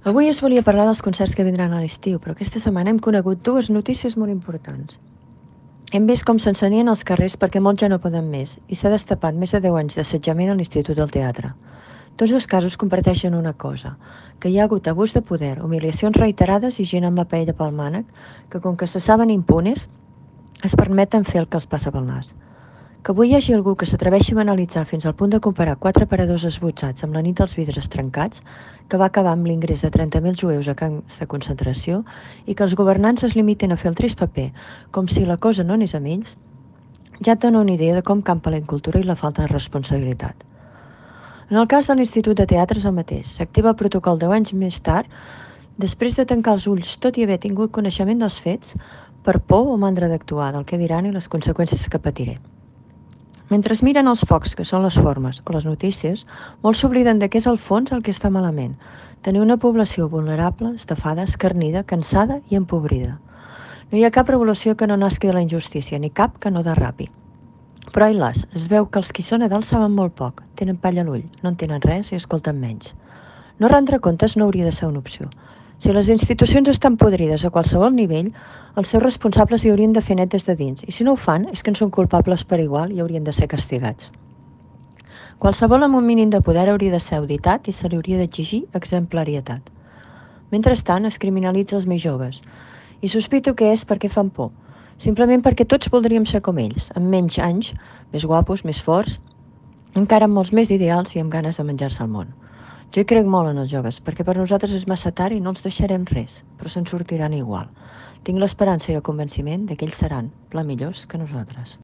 Avui us volia parlar dels concerts que vindran a l'estiu, però aquesta setmana hem conegut dues notícies molt importants. Hem vist com s'encenien els carrers perquè molts ja no poden més i s'ha destapat més de 10 anys d'assetjament a l'Institut del Teatre. Tots dos casos comparteixen una cosa, que hi ha hagut abús de poder, humiliacions reiterades i gent amb la paella pel mànec que, com que se saben impunes, es permeten fer el que els passa pel nas. Que avui hi hagi algú que s'atreveixi a banalitzar fins al punt de comparar 4 paradors esbotzats amb la nit dels vidres trencats, que va acabar amb l'ingrés de 30.000 jueus a camps de concentració i que els governants es limitin a fer el trist paper, com si la cosa no anés amb ells, ja et dona una idea de com campa la incultura i la falta de responsabilitat. En el cas de l'Institut de Teatre és el mateix. S'activa el protocol 10 anys més tard, després de tancar els ulls tot i haver tingut coneixement dels fets, per por o mandra d'actuar, del que diran i les conseqüències que patiré. Mentre es miren els focs, que són les formes, o les notícies, molts s'obliden de què és el fons el que està malament. Tenir una població vulnerable, estafada, escarnida, cansada i empobrida. No hi ha cap revolució que no nasqui de la injustícia, ni cap que no derrapi. Però ai las, es veu que els qui són a dalt saben molt poc, tenen palla a l'ull, no entenen res i escolten menys. No rendre comptes no hauria de ser una opció. Si les institucions estan podrides a qualsevol nivell, els seus responsables hi haurien de fer net des de dins, i si no ho fan és que en són culpables per igual i haurien de ser castigats. Qualsevol amb un mínim de poder hauria de ser auditat i se li hauria d'exigir exemplarietat. Mentrestant, es criminalitza els més joves, i sospito que és perquè fan por, simplement perquè tots voldríem ser com ells, amb menys anys, més guapos, més forts, encara amb molts més ideals i amb ganes de menjar-se el món. Jo hi crec molt en els joves, perquè per nosaltres és massa tard i no els deixarem res, però se'n sortiran igual. Tinc l'esperança i el convenciment de que ells seran pla millors que nosaltres.